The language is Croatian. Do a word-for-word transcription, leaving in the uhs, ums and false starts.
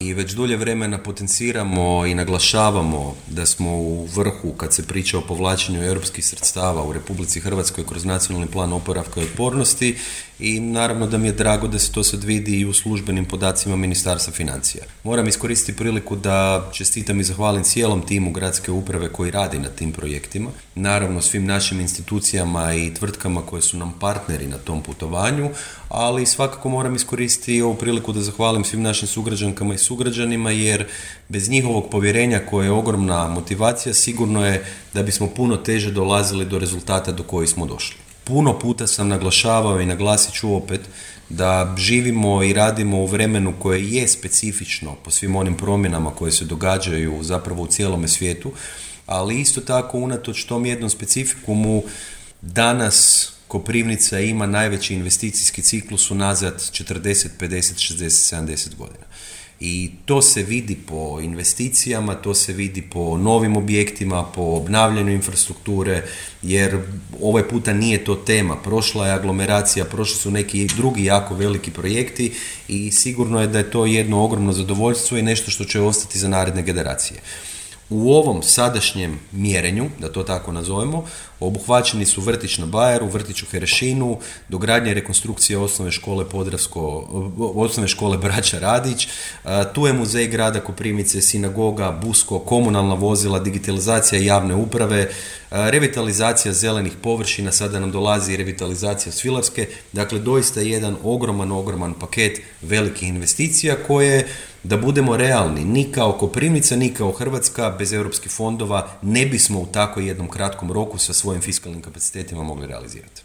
i već dulje vremena potenciramo i naglašavamo da smo u vrhu kad se priča o povlačenju europskih sredstava u Republici Hrvatskoj kroz nacionalni plan oporavka i otpornosti i naravno da mi je drago da se to sad vidi i u službenim podacima Ministarstva financija. Moram iskoristiti priliku da čestitam i zahvalim cijelom timu gradske uprave koji radi na tim projektima, naravno svim našim institucijama i tvrtkama koje su nam partneri na tom putovanju, ali svakako moram iskoristiti i ovu priliku da zahvalim svim našim sugrađankama i sugrađanima jer bez njihovog povjerenja koje je ogromna motivacija sigurno je da bismo puno teže dolazili do rezultata do kojih smo došli. Puno puta sam naglašavao i naglasit ću opet da živimo i radimo u vremenu koje je specifično po svim onim promjenama koje se događaju zapravo u cijelome svijetu, ali isto tako unatoč tom jednom specifikumu danas Koprivnica ima najveći investicijski ciklus unazad četrdeset, pedeset, šezdeset, sedamdeset godina. I to se vidi po investicijama, to se vidi po novim objektima, po obnavljanju infrastrukture, jer ovaj puta nije to tema. Prošla je aglomeracija, prošli su neki drugi jako veliki projekti i sigurno je da je to jedno ogromno zadovoljstvo i nešto što će ostati za naredne generacije. U ovom sadašnjem mjerenju, da to tako nazovemo, obuhvaćeni su vrtić na Bajeru, vrtić u Herešinu, dogradnja i rekonstrukcija osnovne škole Podravsko, osnovne škole Braća Radić, tu je muzej grada Koprivnice, sinagoga, Busko, komunalna vozila, digitalizacija javne uprave, revitalizacija zelenih površina, sada nam dolazi i revitalizacija Svilarske, dakle doista jedan ogroman, ogroman paket velikih investicija koje, da budemo realni, ni kao Koprivnica, ni kao Hrvatska bez europskih fondova ne bismo u tako jednom kratkom roku sa svojim fiskalnim kapacitetima mogli realizirati.